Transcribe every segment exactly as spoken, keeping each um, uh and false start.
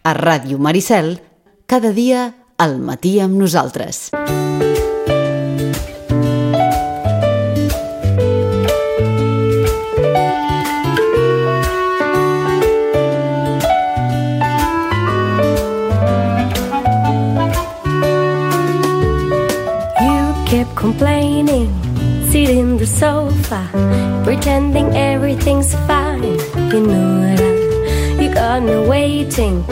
A Ràdio Maricel, cada dia al matí amb nosaltres. Complaining, sit in the sofa, pretending everything's fine. You know that you got me waiting,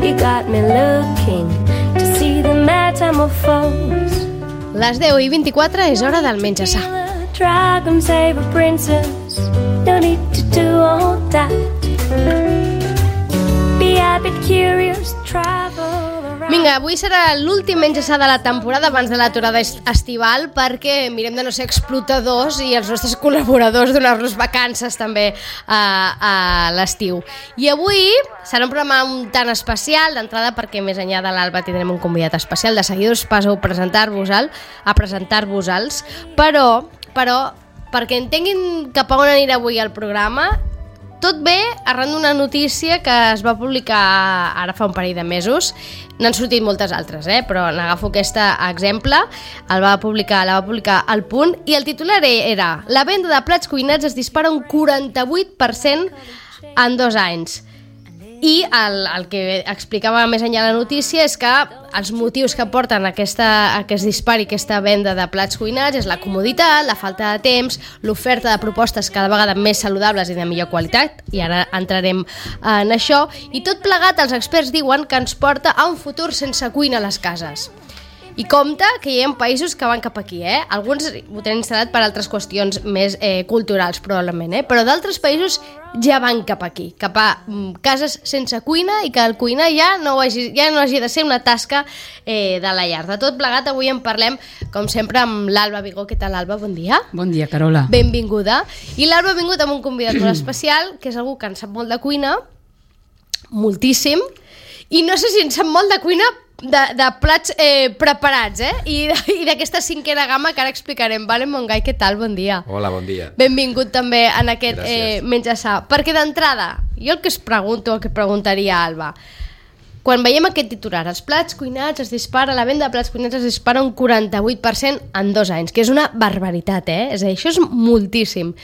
you got me looking to see the metamorphose. Les deu i vint-i-quatre és hora del menjar-sa. Dragon save a princess, no need to do all that. Be a bit curious, travel. Vinga, avui serà l'últim menjar-sa de la temporada abans de l'aturada estival, perquè mirem de no ser explotadors i els nostres col·laboradors donar-los vacances també a, a l'estiu. I avui serà un programa un tant especial, d'entrada perquè més enllà de l'Alba tindrem un convidat especial, de seguida us passo a presentar-vos-el, a presentar-vos-els, però, però perquè entenguin cap a on anirà avui el programa. Tot bé arran d'una notícia que es va publicar ara fa un parell de mesos. N'han sortit moltes altres, eh? Però n'agafo aquest exemple. El va publicar, la va publicar El Punt i el titular era: la venda de plats cuinats es dispara un quaranta-vuit per cent en dos anys. I el, el que explicava més enllà la notícia és que els motius que porten aquesta, aquest dispari, aquesta venda de plats cuinats és la comoditat, la falta de temps, l'oferta de propostes cada vegada més saludables i de millor qualitat, i ara entrarem en això, i tot plegat els experts diuen que ens porta a un futur sense cuina a les cases. I compte que hi ha països que van cap aquí, eh? Alguns ho tenen instal·lat per altres qüestions més eh, culturals, probablement, eh? Però d'altres països ja van cap aquí, cap a mm, cases sense cuina i que el cuinar ja no hagi, ja no hagi de ser una tasca eh, de la llar. De tot plegat, avui en parlem, com sempre, amb l'Alba Vigó. Què tal, Alba? Bon dia. Bon dia, Carola. Benvinguda. I l'Alba ha vingut amb un convidat molt especial, que és algú que en sap molt de cuina, moltíssim, i no sé si en sap molt de cuina de, de plats eh, preparats, eh? I, i d'aquesta cinquena gamma que ara explicarem. Valen Montgai, què tal? Bon dia. Hola, bon dia. Benvingut també en aquest eh, menjar-sa. Perquè d'entrada, jo el que es pregunto, el que preguntaria a Alba, quan veiem aquest titular, els plats cuinats es dispara, la venda de plats cuinats es dispara un quaranta-vuit per cent en dos anys, que és una barbaritat, eh? És a dir, això és moltíssim.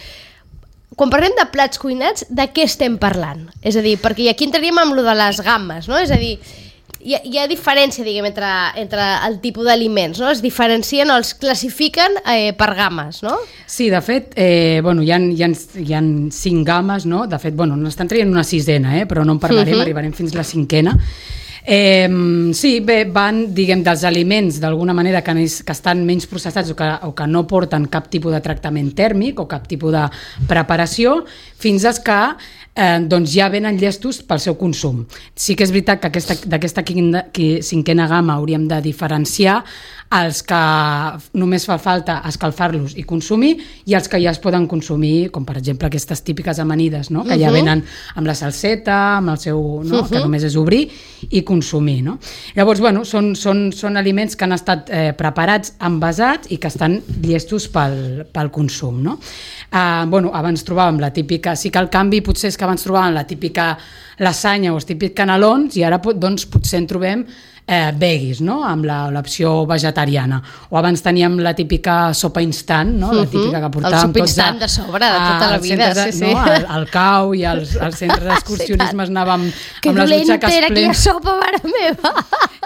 Quan parlem de plats cuinats, de què estem parlant? És a dir, perquè aquí entraríem amb lo de les gammes, no? És a dir, hi ha, hi ha diferència, diguem, entre, entre el tipus d'aliments, no? Es diferencien o els classifiquen eh, per gammes, no? Sí, de fet, eh, bueno, hi ha, hi, ha, hi ha cinc gammes, no? De fet, bueno, n'estan traient una sisena, eh? Però no en parlarem, uh-huh. Arribarem fins la cinquena. Eh, sí, bé, van, diguem, dels aliments d'alguna manera que, que estan menys processats o que, o que no porten cap tipus de tractament tèrmic o cap tipus de preparació, fins als que eh, doncs ja venen llestos pel seu consum. Sí que és veritat que aquesta, d'aquesta cinquena gamma hauríem de diferenciar els que només fa falta escalfar-los i consumir i els que ja es poden consumir, com per exemple aquestes típiques amanides, no? Que ja venen amb la salseta, amb el seu, no? Que només és obrir i consumir, no? Llavors, bueno, són, són, són aliments que han estat eh, preparats, envasats i que estan llestos pel, pel consum, no? Eh, bueno, abans trobàvem la típica, sí que el canvi potser és que abans trobàvem la típica lasanya o els típics canelons i ara doncs potser en trobem eh, veggies, no? Amb l'opció vegetariana. O abans teníem la típica sopa instant, no? La típica que portàvem tots a, de sobre, de tota la vida, de, sí, sí. No? Al, al cau i als, als centres d'excursionisme anàvem que amb les butxaques era aquella sopa, mare meva!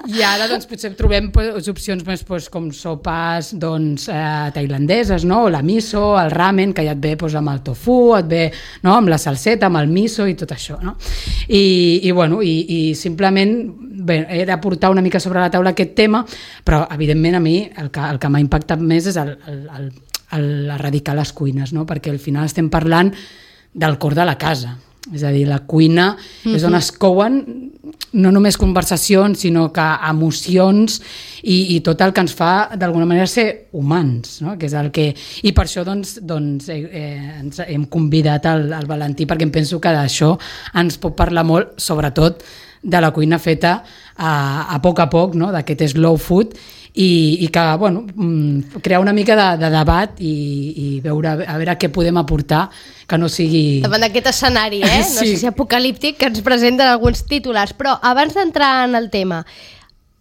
I ara doncs, potser trobem pues, opcions més pues, com sopes doncs, eh, tailandeses, no? O la miso, el ramen, que ja et ve pues, amb el tofu, et ve no? Amb la salseta, amb el miso i tot això, no? I, i, bueno, i, i simplement bé, era portar una mica sobre la taula aquest tema, però evidentment a mi el que, el que m'ha impactat més és el, el, el, el erradicar les cuines, no? Perquè al final estem parlant del cor de la casa, és a dir, la cuina mm-hmm. és on es couen no només conversacions, sinó que emocions i, i tot el que ens fa d'alguna manera ser humans, no? Que és el que... I per això doncs, doncs, eh, ens hem convidat al, al Valentí, perquè em penso que d'això ens pot parlar molt, sobretot de la cuina feta a, a poc a poc, no? D'aquest slow food i, i que, bueno, crear una mica de, de debat i, i veure a veure què podem aportar que no sigui... Davant d'aquest escenari, eh? No sí. sé si apocalíptic, que ens presenten alguns titulars, però abans d'entrar en el tema,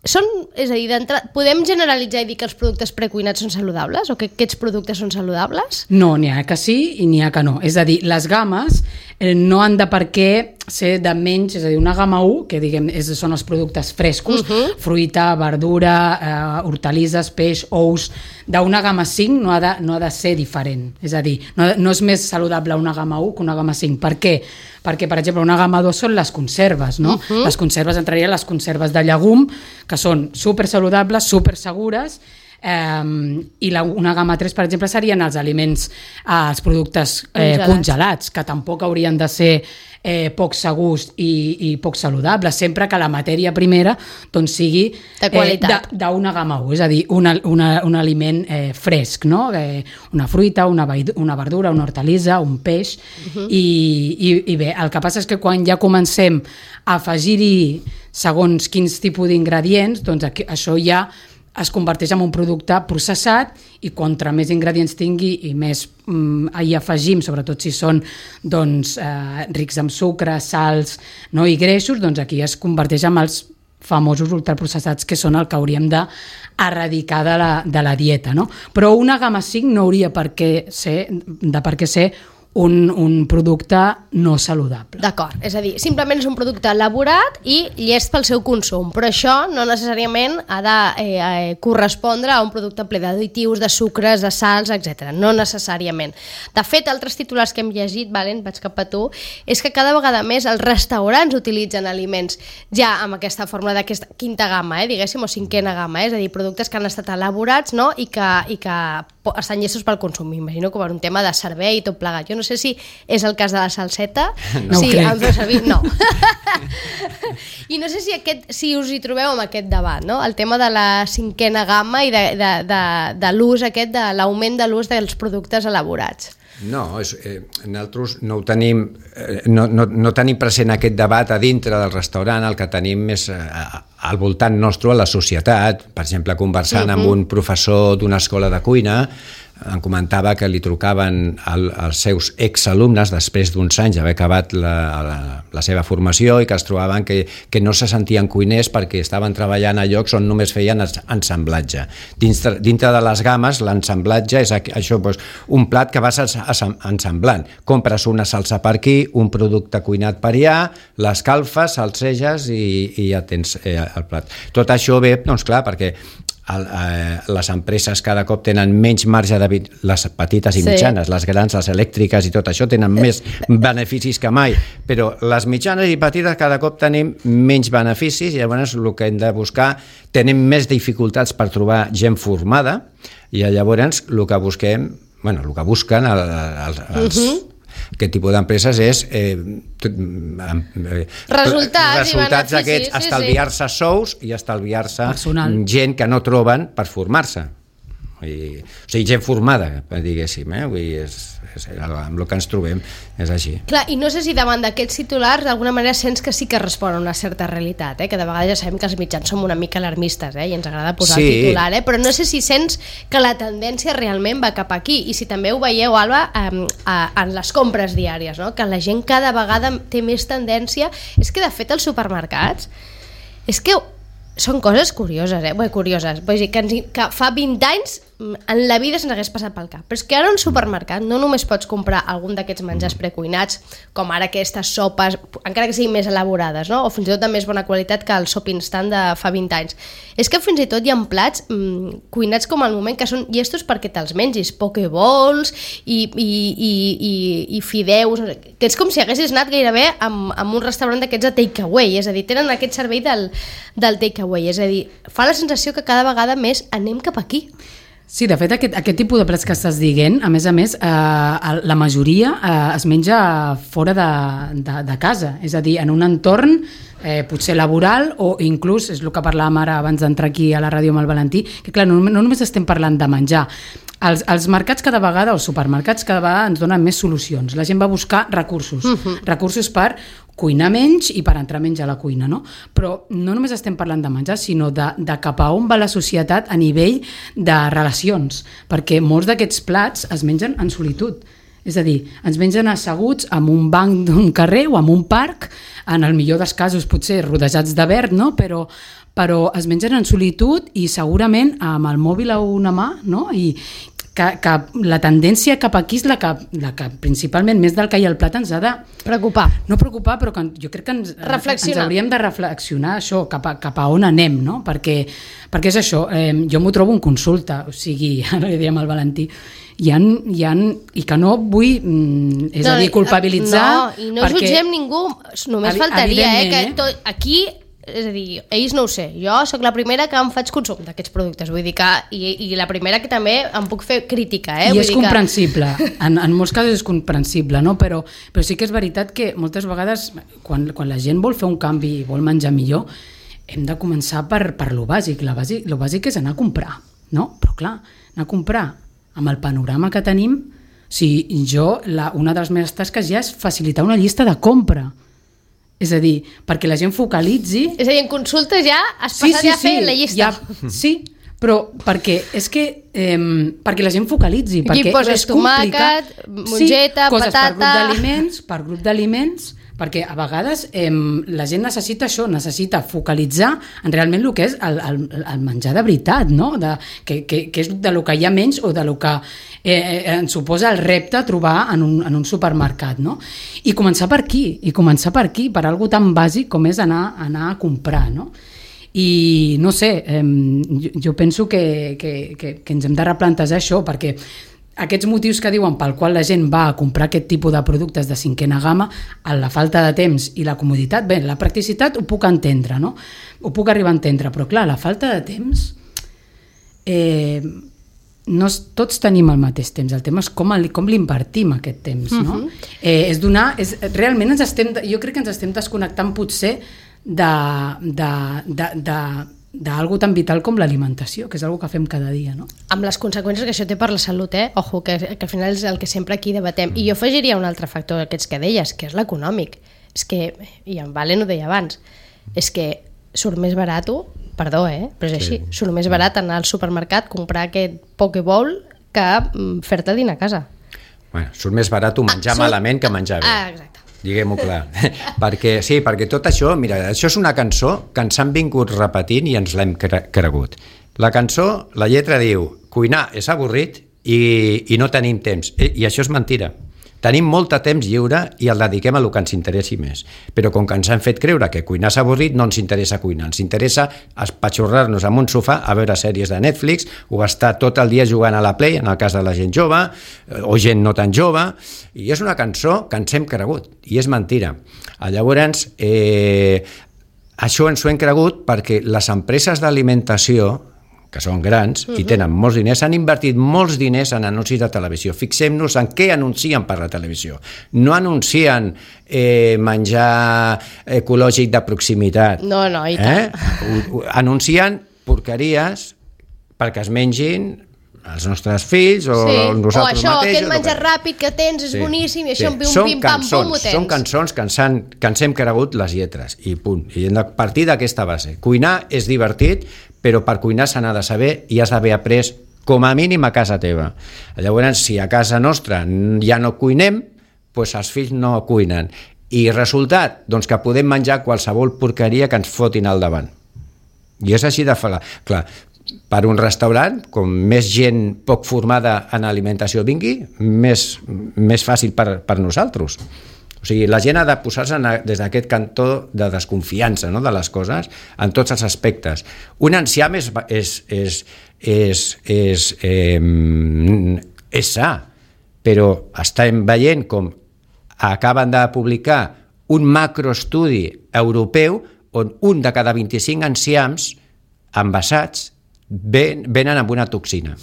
són, és a dir, podem generalitzar i dir que els productes precuinats són saludables o que aquests productes són saludables? No, n'hi ha que sí i n'hi ha que no. És a dir, les games eh, no han de per què ser de menys, és a dir, una gamma u, que diguem és, són els productes frescos, uh-huh. fruita, verdura, eh, hortalisses, peix, ous, d'una gamma cinc no ha, de, no ha de ser diferent. És a dir, no, no és més saludable una gamma u que una gamma cinc. Per què? Perquè, per exemple, una gamma dos són les conserves, no? Uh-huh. Les conserves entrarien les conserves de llegum, que són super saludables, super segures, eh, i la, una gamma tres, per exemple, serien els aliments, eh, els productes eh, congelats. congelats, que tampoc haurien de ser eh, poc segurs i, i poc saludables, sempre que la matèria primera doncs, sigui de qualitat. Eh, d'una gamma u, és a dir, una, una, un aliment eh, fresc, no? eh, una fruita, una, una verdura, una hortalissa, un peix, uh-huh. i, i, i bé, el que passa és que quan ja comencem a afegir-hi segons quins tipus d'ingredients, doncs aquí, això ja es converteix en un producte processat i contra més ingredients tingui i més mm, hi afegim, sobretot si són doncs, eh, rics en sucre, sals, no, i greixos, doncs aquí es converteix en els famosos ultraprocessats que són el que hauríem d'erradicar de la, de la dieta, no? Però una gamma cinc no hauria per què ser, de per què ser Un, un producte no saludable. D'acord, és a dir, simplement és un producte elaborat i llest pel seu consum, però això no necessàriament ha de eh, eh, correspondre a un producte ple d'additius, de sucres, de sals, etcètera. No necessàriament. De fet, altres titulars que hem llegit, Valen, vaig cap a tu, és que cada vegada més els restaurants utilitzen aliments ja amb aquesta fórmula d'aquesta quinta gamma, eh, diguéssim, o cinquena gamma, eh, és a dir, productes que han estat elaborats, no?, i que, i que estan llestos pel consum. M'imagino que per un tema de servei i tot plegat. Jo no sé si és el cas de la salseta. No sí, ho crec. em feu servir? No. I no sé si, aquest, si us hi trobeu amb aquest debat, no? El tema de la cinquena gamma i de, de, de, de l'ús aquest, de l'augment de l'ús dels productes elaborats. No, és, eh, nosaltres no ho tenim, eh, no, no, no tenim present aquest debat a dintre del restaurant, el que tenim és eh, al voltant nostre, a la societat. Per exemple, conversant uh-huh. amb un professor d'una escola de cuina, em comentava que li trucaven al, als seus exalumnes després d'uns anys d'haver acabat la, la, la seva formació i que es trobaven que, que no se sentien cuiners perquè estaven treballant a llocs on només feien ensamblatge. Dintre, dintre de les gammes, l'ensamblatge és això, doncs, un plat que vas ensamblant. Compres una salsa per aquí, un producte cuinat per allà, l'escalfes, salseges i, i ja tens eh, el plat. Tot això ve, doncs clar, perquè El, eh, les empreses cada cop tenen menys marge de... les petites i mitjanes, sí. les grans, les elèctriques i tot això tenen més beneficis que mai, però les mitjanes i petites cada cop tenim menys beneficis i llavors el que hem de buscar, tenim més dificultats per trobar gent formada i llavors el que busquem, bueno, el que busquen el, el, els, uh-huh. aquest tipus d'empreses és eh, eh, resultats, resultats aquests, sí, estalviar-se sí. sous i estalviar-se personal. Gent que no troben per formar-se. I, o sigui, gent formada, diguéssim, eh? Vull dir, és, és, amb el que ens trobem és així. Clar, i no sé si davant d'aquests titulars d'alguna manera sents que sí que respon a una certa realitat, eh? Que de vegades ja sabem que els mitjans som una mica alarmistes, eh? I ens agrada posar sí. el titular, eh? Però no sé si sents que la tendència realment va cap aquí i si també ho veieu, Alba, eh, en les compres diàries, no? Que la gent cada vegada té més tendència. És que de fet els supermercats és que són coses curioses, eh? Bé, curioses. Vull dir, que, ens, que fa vint anys en la vida se'ns hagués passat pel cap. Però és que ara a un supermercat no només pots comprar algun d'aquests menjars precuinats, com ara aquestes sopes, encara que siguin més elaborades, no? O fins i tot de més bona qualitat que el sop instant de fa vint anys. És que fins i tot hi ha plats mmm, cuinats com al moment que són llestos perquè te'ls mengis, pokeballs i, i, i, i, i fideus, que és com si haguessis anat gairebé amb, amb un restaurant d'aquests de takeaway, és a dir, tenen aquest servei del, del takeaway, és a dir, fa la sensació que cada vegada més anem cap aquí. Sí, de fet, aquest, aquest tipus de plats que estàs dient, a més a més, eh, la majoria eh, es menja fora de, de, de casa, és a dir, en un entorn eh, potser laboral o inclús, és el que parlàvem ara abans d'entrar aquí a la ràdio amb el Valentí, que clar, no, no només estem parlant de menjar, els, els mercats cada vegada, els supermercats cada vegada ens donen més solucions, la gent va buscar recursos, uh-huh. recursos per cuinar menys i per entrar menys a la cuina, no? Però no només estem parlant de menjar, sinó de, de cap a on va la societat a nivell de relacions, perquè molts d'aquests plats es mengen en solitud. És a dir, ens mengen asseguts en un banc d'un carrer o en un parc, en el millor dels casos potser rodejats de verd, no? Però, però es mengen en solitud i segurament amb el mòbil a una mà, no? I que, que la tendència cap aquí és la que, la que principalment més del que hi ha al plat ens ha de... Preocupar. No preocupar, però que jo crec que ens, ens hauríem de reflexionar això, cap a, cap a on anem, no? Perquè, perquè és això, eh, jo m'ho trobo en consulta, o sigui, ara li diem al Valentí, hi ha, hi ha, i que no vull, mm, és no, a dir, culpabilitzar... No, i no perquè, jutgem ningú, només faltaria, eh, que tot, aquí... És a dir, ells no ho sé, jo sóc la primera que em faig consum d'aquests productes, vull dir que, i, i la primera que també em puc fer crítica, eh? I vull és dir comprensible, que... en, en molts casos és comprensible, no? però, però sí que és veritat que moltes vegades quan, quan la gent vol fer un canvi i vol menjar millor, hem de començar per, per lo bàsic. La bàsic, lo bàsic és anar a comprar, no? Però clar, anar a comprar amb el panorama que tenim, si jo, la, una de les meves tasques ja és facilitar una llista de compra. És a dir, perquè la gent focalitzi... És a dir, en consultes ja has passat sí, sí, ja a fer sí, la llista. Ja, sí, però perquè és que eh, perquè la gent focalitzi. Aquí perquè poses tomàquet, mongeta, sí, coses patata... per grup d'aliments, per grup d'aliments, perquè a vegades eh, la gent necessita això, necessita focalitzar en realment el que és el, el, el menjar de veritat, no? de, que, que, que és de lo que hi ha menys o de lo que eh, ens suposa el repte trobar en un, en un supermercat. No? I començar per aquí, i començar per aquí, per algo tan bàsic com és anar, anar a comprar, no? I no sé, eh, jo, jo penso que, que, que, que ens hem de replantejar això, perquè aquests motius que diuen pel qual la gent va a comprar aquest tipus de productes de cinquena gamma, a la falta de temps i la comoditat, bé, la practicitat ho puc entendre, no? Ho puc arribar a entendre, però clar, la falta de temps, eh, no, tots tenim el mateix temps, el tema és com, el, com l'invertim aquest temps, no? Uh-huh. eh, és donar, és, realment ens estem, jo crec que ens estem desconnectant potser de, de, de, de d'algo tan vital com l'alimentació, que és algo que fem cada dia, no? Amb les conseqüències que això té per la salut, eh? Ojo, que, que al final és el que sempre aquí debatem. I jo afegiria un altre factor d'aquests que deies, que és l'econòmic. És que, i en Valen ho deia abans, és que surt més barat, perdó, eh? Però és així, sí. Surt més barat anar al supermercat, comprar aquest Pokéball que fer-te dinar a casa. Bueno, surt més barat menjar ah, surt... malament que menjar bé. Ah, exacte. Diguem-ho clar. perquè, sí, perquè tot això, mira, això és una cançó que ens han vingut repetint i ens l'hem cre- cregut. La cançó, la lletra diu, cuinar és avorrit i, i no tenim temps. I, i això és mentira. Tenim molt de temps lliure i el dediquem a el que ens interessi més. Però com que ens han fet creure que cuinar és avorrit, no ens interessa cuinar. Ens interessa espatxorrar-nos en un sofà a veure sèries de Netflix o estar tot el dia jugant a la Play, en el cas de la gent jove, o gent no tan jove. I és una cançó que ens hem cregut, i és mentira. Llavors, eh, això ens ho hem cregut perquè les empreses d'alimentació, que són grans uh-huh. i tenen molts diners, han invertit molts diners en anuncis de televisió. Fixem-nos en què anuncien per la televisió. No anuncien eh, menjar ecològic de proximitat. No, no, i tant. Eh? Anuncien porqueries perquè es mengin els nostres fills o sí. nosaltres o això, mateixos. Aquest menjar que... ràpid que tens és sí. boníssim i això sí. un pim-pam-pum ho tens. Són cançons que ens, han, que ens hem cregut les lletres i punt. I hem de partir d'aquesta base. Cuinar és divertit, però per cuinar se n'ha de saber i has d'haver après com a mínim a casa teva. Llavors, si a casa nostra ja no cuinem, doncs els fills no cuinen. I resultat, doncs que podem menjar qualsevol porqueria que ens fotin al davant. I és així de falar. Clar, per un restaurant, com més gent poc formada en alimentació vingui, més, més fàcil per, per nosaltres. O sigui, la gent ha de posar-se des d'aquest cantó de desconfiança, no?, de les coses en tots els aspectes. Un enciam és, és, és, és, és, eh, és sa, però estem veient com acaben de publicar un macroestudi europeu on un de cada vint-i-cinc enciams envasats ven, venen amb una toxina.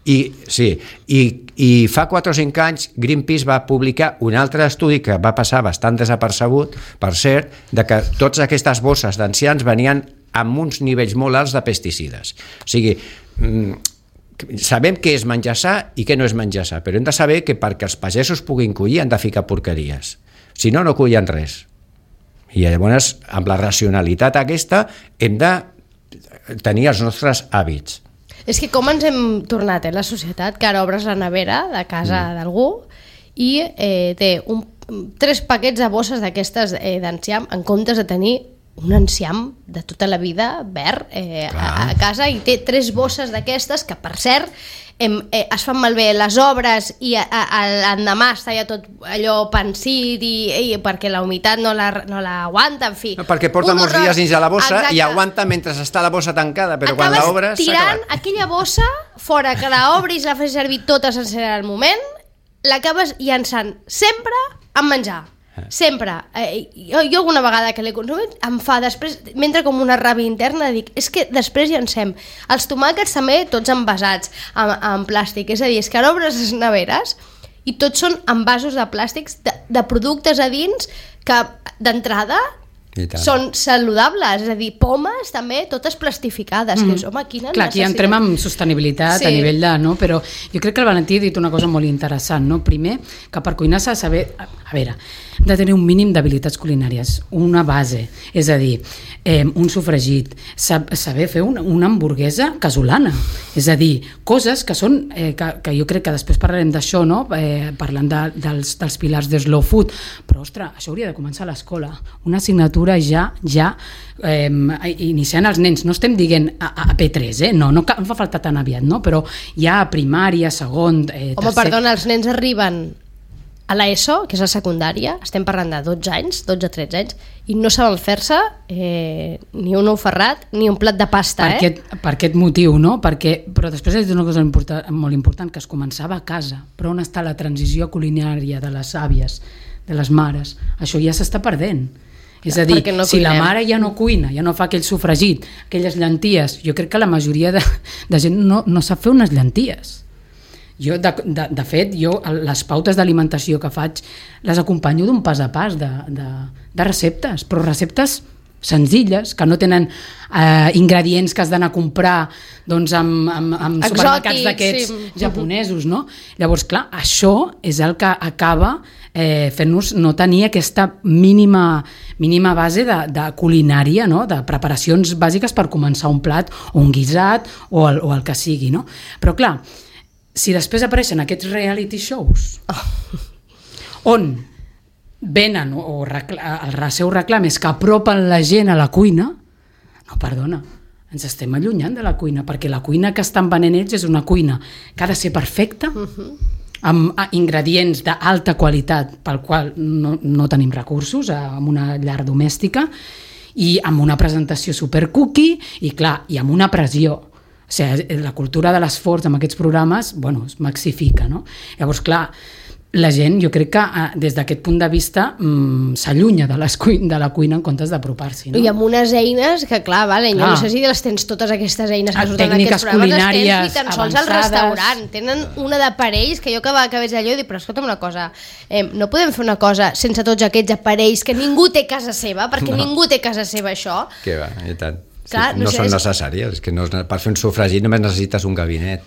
I, sí, i, i fa quatre o cinc anys Greenpeace va publicar un altre estudi que va passar bastant desapercebut, per cert, de que totes aquestes bosses d'ancians venien amb uns nivells molt alts de pesticides. O sigui, sabem què és menjar sa i què no és menjar sa, però hem de saber que perquè els pagesos puguin collir han de ficar porqueries. Si no, no cullen res. I llavors, amb la racionalitat aquesta, hem de tenir els nostres hàbits. És que com ens hem tornat, eh, la societat, que ara obres la nevera de casa mm. d'algú i eh, té un, tres paquets de bosses d'aquestes eh, d'enciam en comptes de tenir un enciam de tota la vida verd eh, a, a casa, i té tres bosses d'aquestes que, per cert, em, eh, es fan malbé les obres i a, a, a l'endemà està ja tot allò pansit i, i perquè la humitat no la, no la aguanta, en fi. No, perquè porta molts dies dins de la bossa. Exacte. I aguanta mentre està la bossa tancada, però acabes quan l'obres s'ha acabat. tirant aquella bossa fora, que l'obris, la fes servir tota sencera al moment, l'acabes llançant sempre en menjar. Sempre. Eh, jo, jo alguna vegada que l'he consumit em fa després, m'entra com una ràbia interna, dic, és que després llancem els tomàquets també tots envasats en, en plàstic, és a dir, és que ara obres les neveres i tots són envasos de plàstics de, de productes a dins que d'entrada són saludables, és a dir, pomes també totes plastificades, mm. que és, home, quina Clar, aquí entrem en sostenibilitat, sí. a nivell de, no? Però jo crec que el Valentí ha dit una cosa molt interessant, no? Primer, que per cuinar s'ha de saber, a, a veure, hem de tenir un mínim d'habilitats culinàries, una base, és a dir, eh, un sofregit, sab, saber fer una, una hamburguesa casolana, és a dir, coses que són, eh, que, que jo crec que després parlarem d'això, no? Eh, parlant de, dels, dels pilars de slow food, però, ostres, això hauria de començar a l'escola, una assignatura ja, ja eh, iniciant els nens, no estem dient a, a P tres, eh? no, no, no fa falta tan aviat, no? Però ja a primària, segon, eh, tercer... Home, perdona, els nens arriben a l'ESO, que és la secundària, estem parlant de dotze anys, dotze a tretze anys, i no saben fer-se eh, ni un ou ferrat ni un plat de pasta. Per, eh? aquest, per aquest motiu, no? Perquè, però després és una cosa important, molt important, que es començava a casa, però on està la transició culinària de les àvies, de les mares? Això ja s'està perdent. És a dir, no si la mare ja no cuina, ja no fa aquell sofregit, aquelles llenties, jo crec que la majoria de, de gent no, no sap fer unes llenties. Jo, de, de, de fet, jo les pautes d'alimentació que faig les acompanyo d'un pas a pas de, de, de receptes, però receptes senzilles, que no tenen eh, ingredients que has d'anar a comprar doncs, amb, amb, amb supermercats d'aquests sí. japonesos, no? Llavors, clar, això és el que acaba eh, fent-nos no tenir aquesta mínima, mínima base de, de culinària, no? De preparacions bàsiques per començar un plat o un guisat o el, o el que sigui, no? Però clar, si després apareixen aquests reality shows oh. on venen o recla- el seu reclam és que apropen la gent a la cuina, no, perdona, ens estem allunyant de la cuina, perquè la cuina que estan venent ells és una cuina que ha de ser perfecta, uh-huh. amb ingredients d'alta qualitat pel qual no, no tenim recursos, amb una llar domèstica, i amb una presentació super cookie, i clar, i amb una pressió. O sigui, la cultura de l'esforç amb aquests programes, bueno, es maxifica, no? Llavors, clar, la gent, jo crec que des d'aquest punt de vista mmm, s'allunya de, de la cuina en comptes d'apropar-s'hi, no? I amb unes eines que, clar, vale, clar. Jo no sé si les tens totes aquestes eines que surten en aquests programes, les tens ni tan sols al restaurant. Tenen una d'aparells que jo que, que veig allò i dic, però escolta'm una cosa, eh, no podem fer una cosa sense tots aquests aparells que ningú té a casa seva, perquè no. ningú té a casa seva això. Que va, i tant. Clar, sí, no, no sé, són és... necessàries, és que no, per fer un sofregit només necessites un gabinet.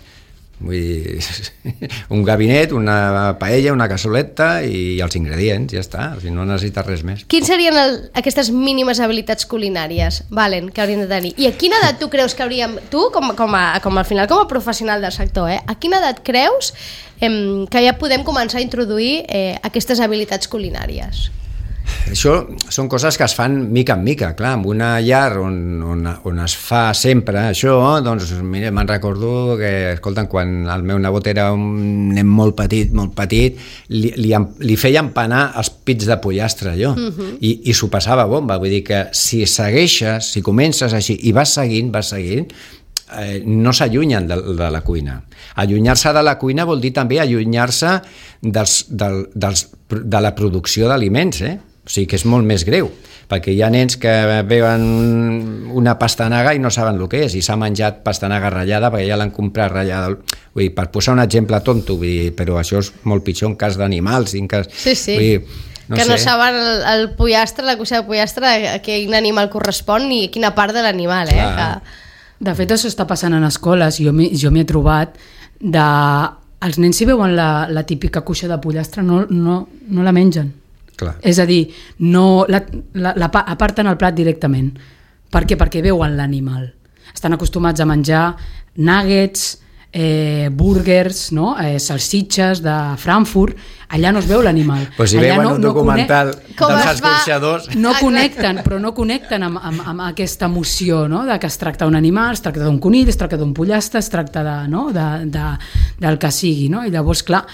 Vull dir, un gabinet, una paella, una cassoleta i els ingredients, ja està, o sigui, no necessites res més. Quines serien el, aquestes mínimes habilitats culinàries, Valen, que hauríem de tenir? I a quina edat tu creus que hauríem, tu, com, com, a, com al final com a professional del sector, eh, a quina edat creus eh, que ja podem començar a introduir eh, aquestes habilitats culinàries? Això són coses que es fan mica en mica, clar, en una llar on, on, on es fa sempre això, doncs mira, me'n recordo que, escolta'm, quan el meu nebot era un nen molt petit, molt petit, li, li, li feia empanar els pits de pollastre, allò, uh-huh. i, i s'ho passava bomba, vull dir que si segueixes, si comences així, i vas seguint, vas seguint, eh, no s'allunyen de, de la cuina. Allunyar-se de la cuina vol dir també allunyar-se dels, del, dels, de la producció d'aliments, eh? O sigui que és molt més greu, perquè hi ha nens que veuen una pastanaga i no saben el que és, i s'ha menjat pastanaga ratllada perquè ja l'han comprat ratllada. Vull dir, per posar un exemple tonto, vull dir, però això és molt pitjor en cas d'animals. En cas, sí, sí. Vull dir, no que sé. No saben el, el pollastre, la cuixa de pollastre, a quin animal correspon ni a quina part de l'animal, eh? Que... De fet, això està passant en escoles. Jo m'hi, jo m'hi he trobat de... Els nens, si veuen la, la típica cuixa de pollastre, no, no, no la mengen. Clar. És a dir, no la, la, la, aparten el plat directament. Per què? Perquè veuen l'animal. Estan acostumats a menjar nuggets, eh, burgers, no? eh, salsitxes de Frankfurt. Allà no es veu l'animal. Pues si allà veuen no, un documental no dels escorxadors... No connecten, però no connecten amb, amb, amb aquesta emoció, no? De que es tracta d'un animal, es tracta d'un conill, es tracta d'un pollastre, es tracta de, no? de, de, del que sigui. No? I llavors, clar,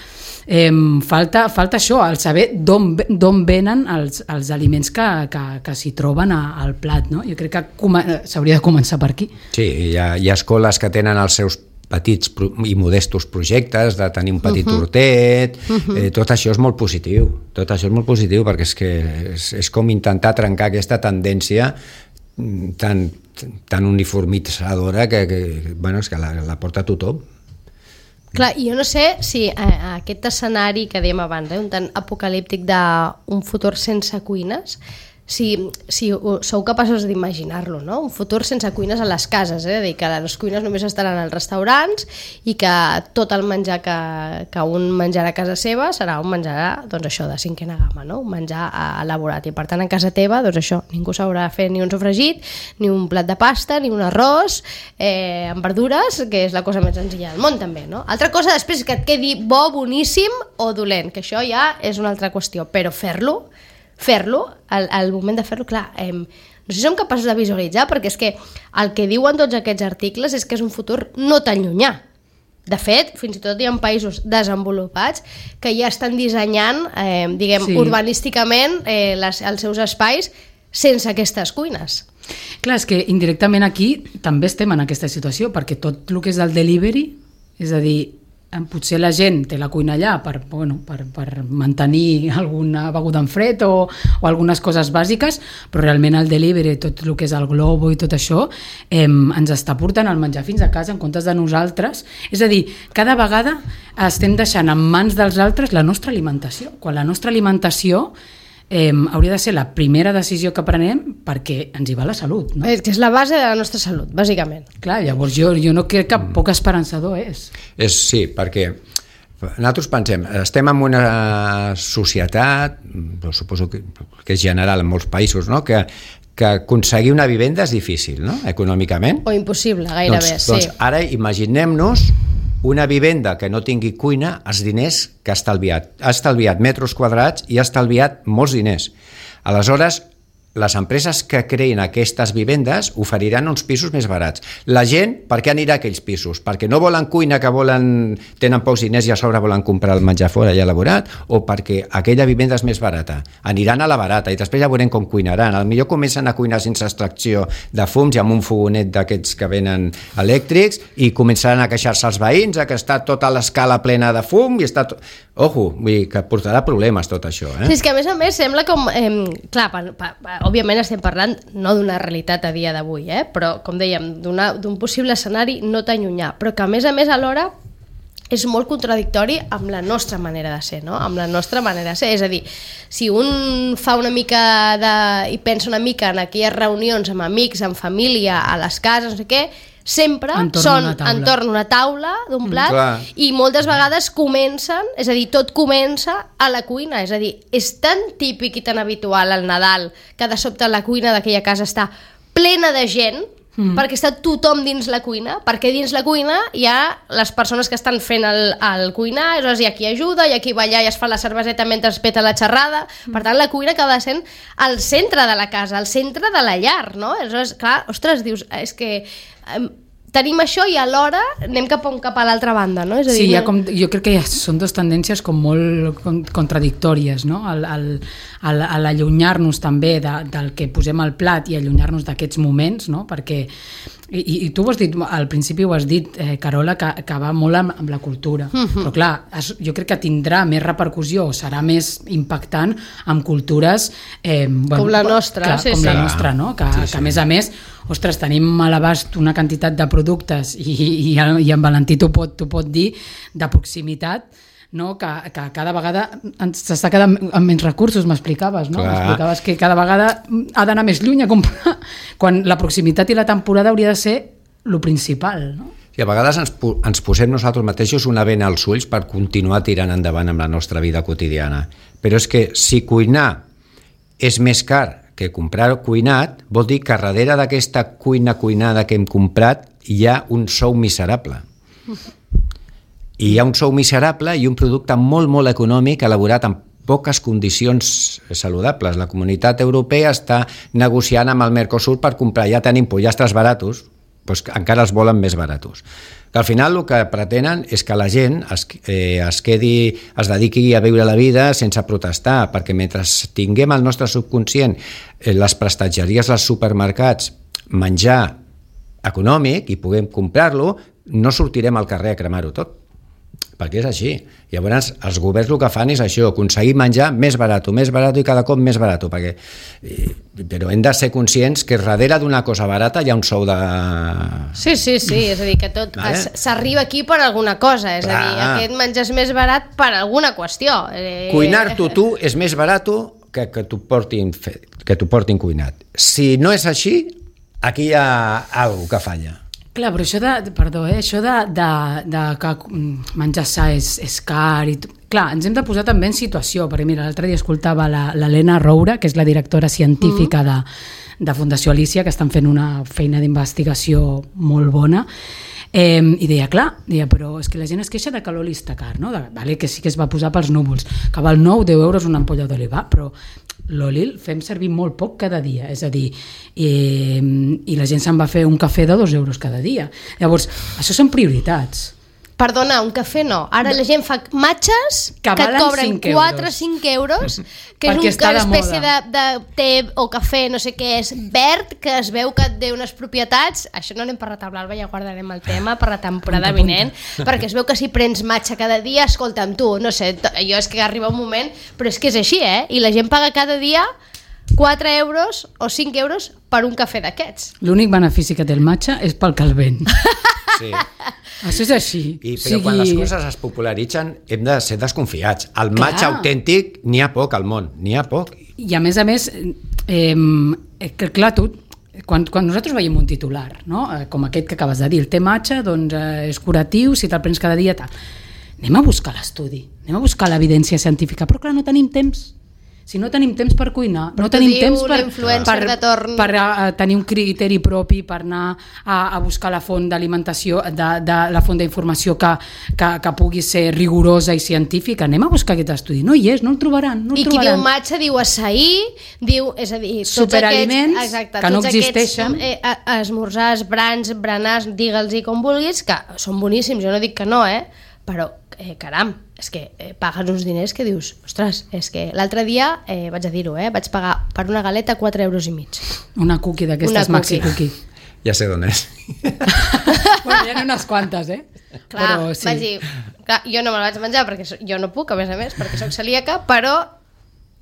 eh, falta, falta això, el saber d'on venen els, els aliments que, que, que s'hi troben a, al plat. No? Jo crec que s'hauria de començar per aquí. Sí, hi ha, hi ha escoles que tenen els seus petits i modestos projectes de tenir un petit uh-huh. hortet, uh-huh. eh, tot això és molt positiu, tot això és molt positiu perquè és que és, és com intentar trencar aquesta tendència tan, tan uniformitzadora que, que, bueno, és que la, la porta tothom. Clar, jo no sé si eh, aquest escenari que dèiem abans, eh, un tant apocalíptic d'un futur sense cuines, si, si sou capaços d'imaginar-lo, no? Un futur sense cuines a les cases, eh? És a dir, que les cuines només estaran als restaurants i que tot el menjar que, que un menjarà a casa seva serà un menjar, doncs això, de cinquena gamma, no? Un menjar elaborat, i per tant a casa teva, doncs això, ningú s'haurà de fer ni un sofregit, ni un plat de pasta, ni un arròs, eh, amb verdures, que és la cosa més senzilla del món també, no? Altra cosa després que et quedi bo, boníssim o dolent, que això ja és una altra qüestió, però fer-lo fer-lo, al, al moment de fer-lo, clar, eh, no sé si som capaços de visualitzar, perquè és que el que diuen tots aquests articles és que és un futur no tan llunyà. De fet, fins i tot hi ha països desenvolupats que ja estan dissenyant, eh, diguem, sí. urbanísticament eh, les, els seus espais sense aquestes cuines. Clar, és que indirectament aquí també estem en aquesta situació, perquè tot el que és el delivery, és a dir, potser la gent té la cuina allà per, bueno, per, per mantenir alguna beguda en fred o, o algunes coses bàsiques, però realment el delivery, tot el que és el Globo i tot això, eh, ens està portant el menjar fins a casa en comptes de nosaltres. És a dir, cada vegada estem deixant en mans dels altres la nostra alimentació, quan la nostra alimentació Eh, hauria de ser la primera decisió que prenem perquè ens hi va la salut, no? És que és la base de la nostra salut, bàsicament. Clar, llavors jo, jo no crec que poc esperançador és. És sí, perquè nosaltres pensem, estem en una societat, suposo que, que és general en molts països, no? que, que aconseguir una vivenda és difícil, no? Econòmicament. O impossible, gairebé, doncs, sí. Doncs ara imaginem-nos una vivenda que no tingui cuina, els diners que ha estalviat. Ha estalviat metres quadrats i ha estalviat molts diners. Aleshores, les empreses que creïn aquestes vivendes oferiran uns pisos més barats. La gent, per què anirà a aquells pisos? Perquè no volen cuina, que volen tenen pocs diners i a sobre volen comprar el menjar fora ja elaborat, o perquè aquella vivenda és més barata? Aniran a la barata i després ja veurem com cuinaran. Al millor comencen a cuinar sense extracció de fums i amb un fogonet d'aquests que venen elèctrics i començaran a queixar-se als veïns que està tota l'escala plena de fum i està... Tot... Ojo, vull dir que portarà problemes tot això. Eh? Sí, és que a més a més sembla com... Eh, clar, pa, pa, pa, òbviament estem parlant no d'una realitat a dia d'avui, eh? Però com dèiem, d'un possible escenari no tan llunyà, però que a més a més alhora és molt contradictori amb la nostra manera de ser, no? Amb la nostra manera de ser, és a dir, si un fa una mica de... i pensa una mica en aquelles reunions amb amics, amb família, a les cases, no sé què, sempre entorn són entorn una taula d'un plat mm, i moltes vegades comencen, és a dir, tot comença a la cuina, és a dir, és tan típic i tan habitual al Nadal que de sobte la cuina d'aquella casa està plena de gent mm. perquè està tothom dins la cuina, perquè dins la cuina hi ha les persones que estan fent el, el cuinar, hi ha qui ajuda, hi ha qui va allà i es fa la cerveseta mentre es peta la xerrada, mm. per tant la cuina acaba sent al centre de la casa, al centre de la llar, no? Aleshores, clar, ostres, dius, és que eh, tenim això i alhora anem cap a, cap a l'altra banda, no? És a dir, sí, ja com, jo crec que ja són dues tendències com molt contradictòries, no? El, el, el, el allunyar-nos també de, del que posem al plat i allunyar-nos d'aquests moments, no? Perquè I, i tu ho has dit, al principi ho has dit, eh, Carola, que, que va molt amb, amb la cultura, uh-huh. però clar, es, jo crec que tindrà més repercussió o serà més impactant amb cultures eh, bueno, com la nostra, clar, sí, com sí. la nostra, no? Que, sí, sí. que a més a més, ostres, tenim a l'abast una quantitat de productes i, i, i en Valentí t'ho pot, t'ho pot dir, de proximitat, no? que, que cada vegada s'està quedant amb menys recursos, m'explicaves, no? M'explicaves que cada vegada ha d'anar més lluny a comprar, quan la proximitat i la temporada hauria de ser lo principal, no? I a vegades ens, ens posem nosaltres mateixos una vena als ulls per continuar tirant endavant amb la nostra vida quotidiana. però és que si cuinar és més car que comprar cuinat, vol dir que darrere d'aquesta cuina cuinada que hem comprat hi ha un sou miserable. I hi ha un sou miserable i un producte molt, molt econòmic elaborat amb poques condicions saludables. La Comunitat Europea està negociant amb el Mercosur per comprar, ja tenim pollastres baratos, doncs encara els volen més baratos. Que al final el que pretenen és que la gent es, eh, es quedi, es dediqui a viure la vida sense protestar, perquè mentre tinguem al nostre subconscient eh, les prestatgeries als supermercats, menjar econòmic i puguem comprar-lo, no sortirem al carrer a cremar-ho tot, perquè és així. Llavors, els governs el que fan és això, aconseguir menjar més barat, més barat i cada cop més barat, perquè... però hem de ser conscients que darrere d'una cosa barata hi ha un sou de... Sí, sí, sí, és a dir, que tot vale? s'arriba aquí per alguna cosa, és Clar. a dir, aquest menjar és més barat per alguna qüestió. Eh... Cuinar-t'ho tu és més barat que que t'ho portin, que t'ho portin cuinat. Si no és així, aquí hi ha alguna que falla. Clar, però això de, perdó, eh, això de, de, de que menjar sa és, és car i... Clar, ens hem de posar també en situació, perquè mira, l'altre dia escoltava l'Helena Roura, que és la directora científica mm. de, de Fundació Alicia, que estan fent una feina d'investigació molt bona, eh, i deia, clar, deia, però és que la gent es queixa de que l'oli està car, no? De, vale, que sí que es va posar pels núvols, que val nou, deu euros una ampolla d'oli, va, però l'oli el fem servir molt poc cada dia, és a dir, eh, i la gent se'n va fer un cafè de dos euros cada dia. Llavors, això són prioritats. Perdona, un cafè no. Ara la gent fa matxes que, que et cobren quatre o cinc euros, que és una espècie de, de té o cafè, no sé què és, verd, que es veu que té unes propietats... Això no n'hem parlat amb l'Alba, ja guardarem el tema per la temporada punta, vinent, punta. Perquè es veu que si prens matxa cada dia, escolta'm tu, no sé, jo és que arriba un moment, però és que és així, eh? I la gent paga cada dia quatre euros o cinc euros per un cafè d'aquests. L'únic benefici que té el matxa és pel calvent. Sí. Això és així. I, però sigui... quan les coses es popularitzen hem de ser desconfiats. El Clar. matxa autèntic n'hi ha poc al món, n'hi ha poc. I a més a més, eh, que clar, tu, quan, quan nosaltres veiem un titular, no? Com aquest que acabes de dir, el té matxa, doncs eh, és curatiu, si te'l prens cada dia, tal. Anem a buscar l'estudi, anem a buscar l'evidència científica, però clar, no tenim temps. Si no tenim temps per cuinar, però no tenim temps per, per, de torn. per uh, tenir un criteri propi, per anar a, a buscar la font d'alimentació, de, de, la font d'informació que, que, que pugui ser rigorosa i científica. Anem a buscar aquest estudi. No hi és, no el trobaran. No el I trobaran. qui diu matxa diu açaí, diu, és a dir, tots superaliments aquests, exacte, que no tots existeixen. Aquests, eh, esmorzars, brans, berenars, digue'ls-hi com vulguis, que són boníssims, jo no dic que no, eh? Però, eh, caram, és que eh, pagues uns diners que dius, ostres, és que l'altre dia, eh, vaig a dir-ho, eh, vaig pagar per una galeta quatre euros i mig. Una cookie d'aquestes maxi cookie. Ja sé d'on és. Bueno, hi ha unes quantes, eh? Clar, però, sí. vaig dir, clar, jo no me la vaig menjar perquè jo no puc, a més a més, perquè soc celíaca, però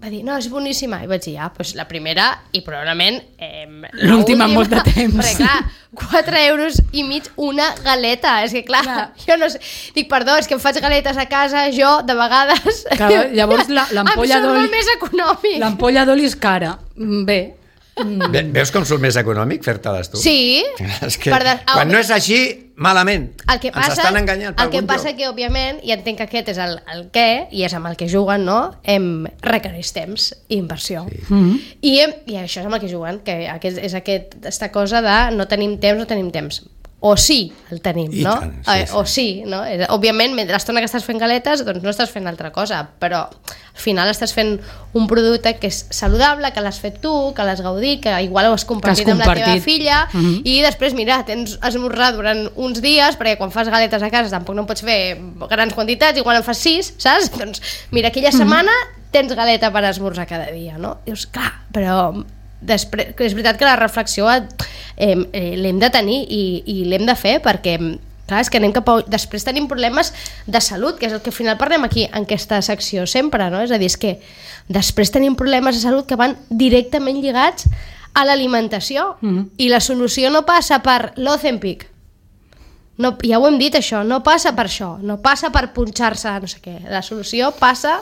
va dir, no, és boníssima. I vaig dir, ah, doncs la primera i probablement eh, l'última amb molt de temps. Perquè clar, quatre euros i mig una galeta. És que clar, clar, jo no sé. Dic, perdó, és que em faig galetes a casa, jo, de vegades. Clar, llavors l'ampolla d'oli... Em surt més econòmic. L'ampolla d'oli és cara. Bé. Ve, veus com surt més econòmic fer-te-les tu? Sí. És que de... quan no és així, malament. El que passa, ens estan enganyant. El que passa que, òbviament, i entenc que aquest és el, el què, i és amb el que juguen, no? Em requereix temps i inversió. Sí. Mm-hmm. I, em, I això és amb el que juguen, que aquest, és aquesta cosa de no tenim temps, no tenim temps. O sí, el tenim, I no? Tant, sí, sí. O sí, no? Òbviament, mentre l'estona que estàs fent galetes, doncs no estàs fent altra cosa, però al final estàs fent un producte que és saludable, que l'has fet tu, que l'has gaudit, que igual ho has compartit, has compartit. amb la teva filla, mm-hmm. i després, mira, tens esmorzar durant uns dies, perquè quan fas galetes a casa tampoc no pots fer grans quantitats, igual en fas sis, saps? Doncs mira, aquella mm-hmm. setmana tens galeta per esmorzar cada dia, no? Dius, clar, però... Després, és veritat que la reflexió eh, eh, l'hem de tenir i, i l'hem de fer perquè clar, és que anem cap a... després tenim problemes de salut, que és el que al final parlem aquí en aquesta secció sempre, no? És a dir, és que després tenim problemes de salut que van directament lligats a l'alimentació mm-hmm. i la solució no passa per l'Ozempic, no, ja ho hem dit això, no passa per això, no passa per punxar-se no sé què, la solució passa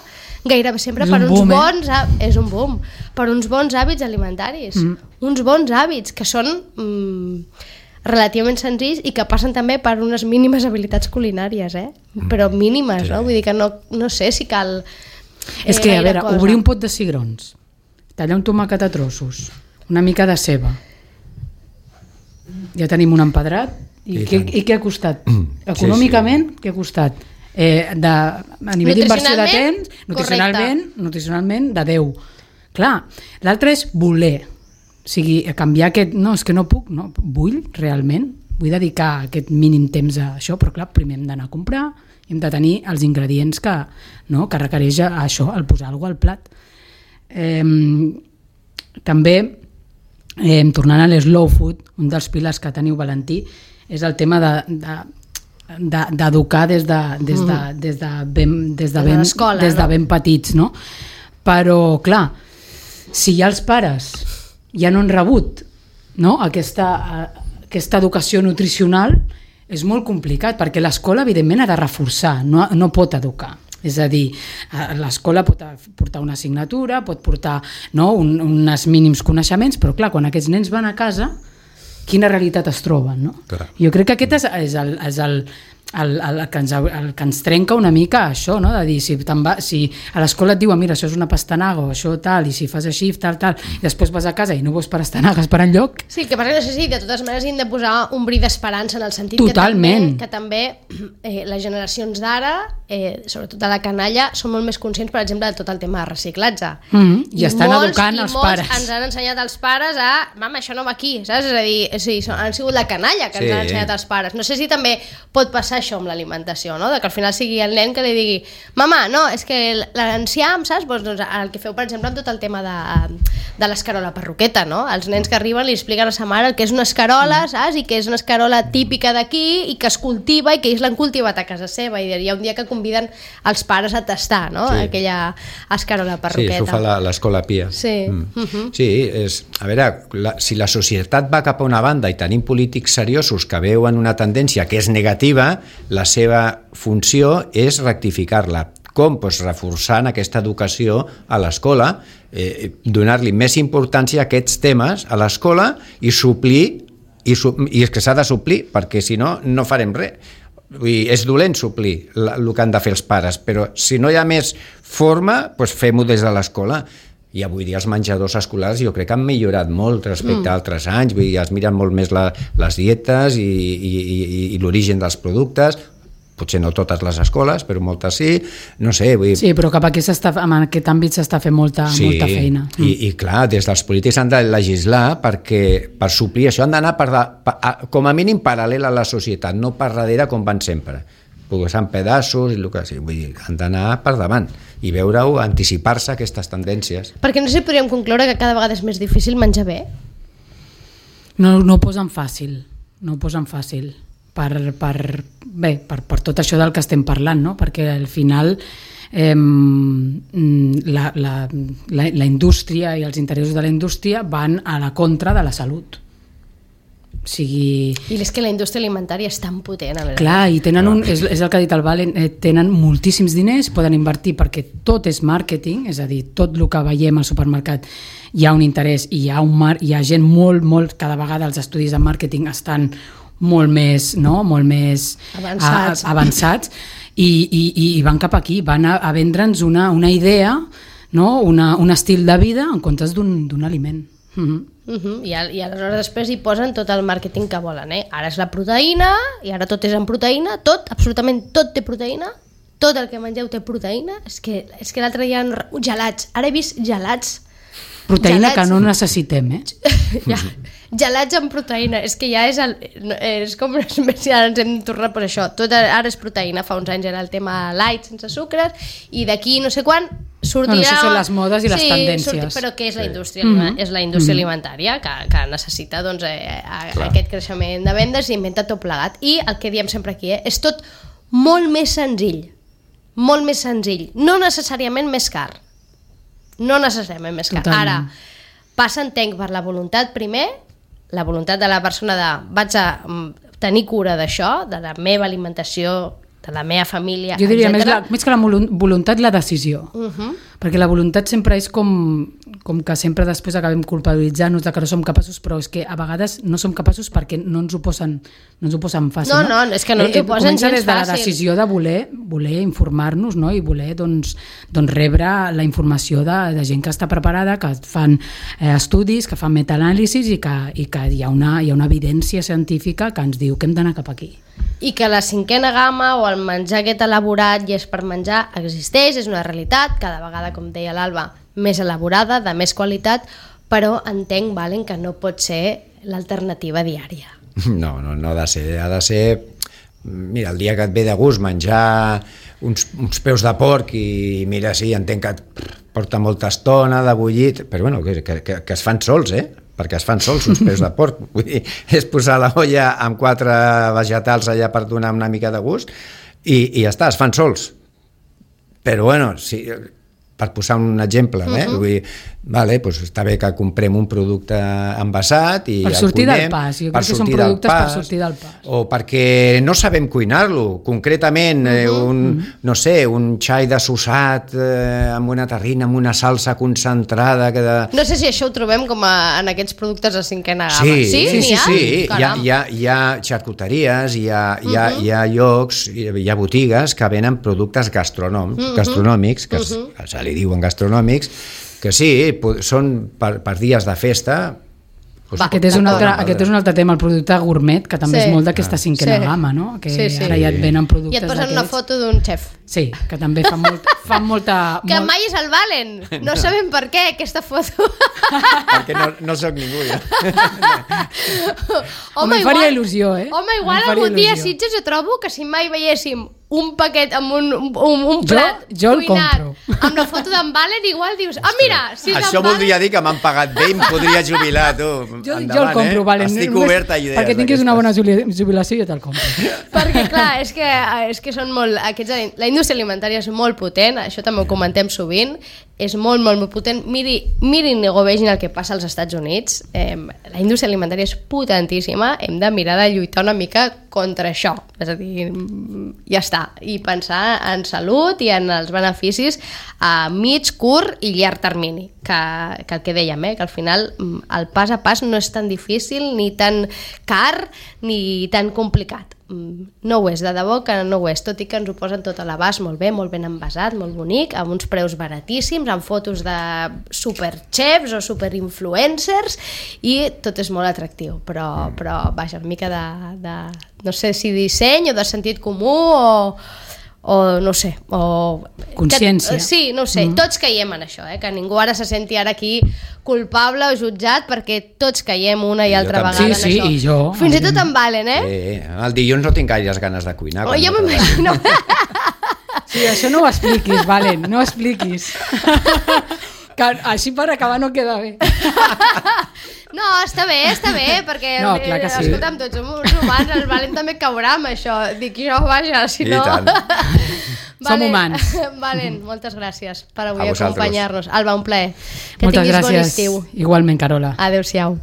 gairebé sempre és per uns boom, bons eh? és un boom, per uns bons hàbits alimentaris, mm. uns bons hàbits que són mm, relativament senzills i que passen també per unes mínimes habilitats culinàries, eh? Però mínimes, sí. no? Vull dir que no, no sé si cal És que, a veure, obrir un pot de cigrons, tallar un tomàquet a trossos, una mica de ceba, ja tenim un empedrat, i, I, què, i què ha costat? Econòmicament, sí, sí. Què ha costat? Eh, de, a nivell d'inversió de temps, nutricionalment, nutricionalment, de deu. Clar, l'altre és voler, o sigui, canviar aquest, no, és que no puc, no, vull realment, vull dedicar aquest mínim temps a això, però clar, primer hem d'anar a comprar, hem de tenir els ingredients que, no, que requereix això, el posar alguna cosa al plat. Eh, també, eh, tornant a l'slow food, un dels pilars que teniu, Valentí, és el tema de, de, de, d'educar des de, des de, des de, ben, des de, ben, des de ben petits, no? Però, clar, si ja els pares ja no han rebut, no, aquesta, aquesta educació nutricional, és molt complicat, perquè l'escola, evidentment, ha de reforçar, no, no pot educar. És a dir, l'escola pot portar una assignatura, pot portar, no, un, uns mínims coneixements, però clar, quan aquests nens van a casa, quina realitat es troben, no? Clar. Jo crec que aquest és, és, el, és el, el, el, que ens, el que ens trenca una mica això, no? De dir, si, va, si a l'escola et diuen, mira, això és una pastanaga o això tal, i si fas així, tal, tal, i després vas a casa i no veus pastanagues per enlloc... Sí, el que passa que no sé si de totes maneres hem de posar un bri d'esperança en el sentit Totalment. que també, que també eh, les generacions d'ara, eh, sobretot a la canalla, són molt més conscients, per exemple, de tot el tema de reciclatge. Mm-hmm. I, I estan molts, educant i els molts pares. ens han ensenyat els pares a, mama, això no va aquí, saps? És a dir, sí, han sigut la canalla que sí. ens han ensenyat els pares. No sé si també pot passar això amb l'alimentació, no? De que al final sigui el nen que li digui, mama, no, és que l'enciam, saps? Pues, doncs, el que feu, per exemple, amb tot el tema de, de l'escarola perruqueta, no? Els nens que arriben li expliquen a sa mare el que és una escarola, saps? I que és una escarola típica d'aquí i que es cultiva i que ells l'han cultivat a casa seva, i hi ha un dia que conviden els pares a tastar, no? Sí. Aquella escarola perruqueta. Sí, això fa l'escola Pia. Sí. Mm. Uh-huh. Sí, és, a veure, la, si la societat va cap a una banda i tenim polítics seriosos que veuen una tendència que és negativa, la seva funció és rectificar-la. Com? Pues reforçant aquesta educació a l'escola, eh, donar-li més importància a aquests temes a l'escola i suplir, i, su, i és que s'ha de suplir, perquè si no, no farem res. Vull dir, és dolent suplir el que han de fer els pares, però si no hi ha més forma, doncs fem-ho des de l'escola. I avui dia els menjadors escolars jo crec que han millorat molt respecte mm. a altres anys, vull dir, es miren molt més la, les dietes i, i, i, i l'origen dels productes, potser no totes les escoles, però moltes sí, no sé. Vull dir... Sí, però cap aquí en aquest àmbit s'està fent molta, sí, molta feina. Mm. I, i clar, des dels polítics han de legislar perquè per suplir això han d'anar per de, per, com a mínim paral·lel a la societat, no per darrere com van sempre. Posant pedaços i el que sigui. Vull dir, han d'anar per davant i veure-ho, anticipar-se a aquestes tendències. Perquè no sé si podríem concloure que cada vegada és més difícil menjar bé? No, no ho posen fàcil, no ho posen fàcil. Per, per, bé, per, per tot això del que estem parlant, no? Perquè al final eh, la, la, la, la indústria i els interessos de la indústria van a la contra de la salut. O sigui... I és que la indústria alimentària és tan potent. Clar, i tenen un, és, és el que ha dit el Valen, eh, tenen moltíssims diners, poden invertir perquè tot és màrqueting, és a dir, tot el que veiem al supermercat hi ha un interès i hi ha, un mar, hi ha gent molt, molt, cada vegada els estudis de màrqueting estan molt més, no? molt més avançats, a, avançats i, i, i van cap aquí, van a, a vendre'ns una, una idea, no? una, un estil de vida en comptes d'un, d'un aliment. Uh-huh. Uh-huh. I, I aleshores després hi posen tot el màrqueting que volen, eh? Ara és la proteïna i ara tot és en proteïna, tot, absolutament tot té proteïna, tot el que mengeu té proteïna. És que, és que l'altre dia gelats, ara he vist gelats proteïna gelats, que no necessitem, eh? ja, gelats amb proteïna, és que ja és, el, és com si ara ens hem tornat per això, tot ara és proteïna, fa uns anys era el tema light sense sucres i d'aquí no sé quan sortirà... Bueno, això són les modes i les sí, tendències. Sortir, però què és la indústria? Mm-hmm. És la indústria mm-hmm. alimentària que, que necessita doncs, eh, a, aquest creixement de vendes i inventa tot plegat. I el que diem sempre aquí, eh, és tot molt més senzill, molt més senzill, no necessàriament més car. No necessàriament més car. Totalment. Ara, passa, entenc, per la voluntat primer, la voluntat de la persona de vaig a tenir cura d'això, de la meva alimentació, de la meva família, jo diria etcètera. més, la, més que la voluntat, la decisió. Uh-huh. perquè la voluntat sempre és com, com que sempre després acabem culpabilitzant-nos de que no som capaços, però és que a vegades no som capaços perquè no ens ho posen, no ens ho posen fàcil. No, no, és que no ens ho posen gens gens des de la fàcil. decisió de voler, voler informar-nos, no? I voler doncs, doncs rebre la informació de, de gent que està preparada, que fan eh, estudis, que fan metaanàlisis i que, i que hi, ha una, hi ha una evidència científica que ens diu que hem d'anar cap aquí. I que la cinquena gamma o el menjar aquest elaborat i és per menjar existeix, és una realitat, cada vegada, com deia l'Alba, més elaborada, de més qualitat, però entenc, Valen, que no pot ser l'alternativa diària. No, no, no ha de ser, ha de ser... Mira, el dia que et ve de gust menjar uns, uns peus de porc i mira, sí, entenc que et porta molta estona de bullit, però bueno, que, que, que es fan sols, eh? Perquè es fan sols uns peus de porc. Vull dir, és posar la olla amb quatre vegetals allà per donar una mica de gust i, i ja està, es fan sols. Però bueno, sí, per posar un exemple, eh? Uh-huh. Vull dir, vale, doncs està bé que comprem un producte envasat i per el sortir cuinem, del pas, jo crec que són productes per sortir del pas. O perquè no sabem cuinar-lo, concretament uh-huh. eh, un, uh-huh. no sé, un xai desossat eh, amb una terrina, amb una salsa concentrada que de... No sé si això ho trobem com a, en aquests productes de cinquena gamma. Sí, sí, sí, sí, ha? sí. Hi ha, hi, ha, hi ha xarcuteries, hi ha, hi ha, uh-huh. hi ha llocs, hi ha botigues que venen productes gastronòmics, uh-huh. gastronòmics que uh-huh. es, se li diuen gastronòmics, que sí, són per, per dies de festa. Doncs, aquest, és un altre, aquest és un altre tema, el producte gourmet, que també sí. és molt d'aquesta cinquena sí. gamma, no? Que sí, sí. ara ja et venen productes i et posen d'aquests. una foto d'un xef. Sí, que també fan, molt, fan molta... Que molt... mai és el Valen. No, no sabem per què, aquesta foto. Perquè no, no soc ningú, ja. Home, em faria il·lusió, eh? Home, igual algun dia a Sitges jo trobo que si mai veiéssim un paquet amb un, un, un plat jo, jo cuinat compro. amb la foto d'en Valen, igual dius, ah, mira, si és això Valen... voldria dir que m'han pagat bé i em podria jubilar, tu. Jo, Endavant, jo el compro, eh? Valen. Estic obert a idees. Perquè tinguis una bona jubilació, jo te'l compro. Perquè, clar, és que, és que són molt... Aquests, la indústria alimentària és molt potent, això també ho comentem sovint, és molt, molt, molt potent. Miri, mirin o vegin el que passa als Estats Units. Eh, la indústria alimentària és potentíssima, hem de mirar de lluitar una mica contra això. És a dir, ja està. I pensar en salut i en els beneficis a mig, curt i llarg termini. Que, que el que dèiem, eh, que al final el pas a pas no és tan difícil, ni tan car, ni tan complicat. No ho és, de debò que no ho és, tot i que ens ho posen tot a l'abast molt bé, molt ben envasat, molt bonic, amb uns preus baratíssims, amb fotos de superchefs o superinfluencers, i tot és molt atractiu, però, però vaja, una mica de, de, no sé si disseny o de sentit comú o, o no sé, o... consciència. Que, sí, no ho sé, mm. tots caiem en això, eh? Que ningú ara se senti ara aquí culpable o jutjat, perquè tots caiem una i, I altra vegada sí, en sí, això. I jo. Fins i tot en Valen, eh? Sí, el dilluns no tinc gaires ganes de cuinar. Oh, jo m'imagino. Sí, això no ho expliquis, Valen, no ho expliquis. Que així per acabar no queda bé. No, està bé, està bé, perquè no, clar que sí. Escolta'm, tots som uns humans, el Valen també caurà amb això. Dic jo, vaja, si no... I tant. Som humans. Valen, moltes gràcies per avui acompanyar-nos. Alba, un plaer. Que moltes tinguis gràcies. bon estiu. Igualment, Carola. Adéu-siau.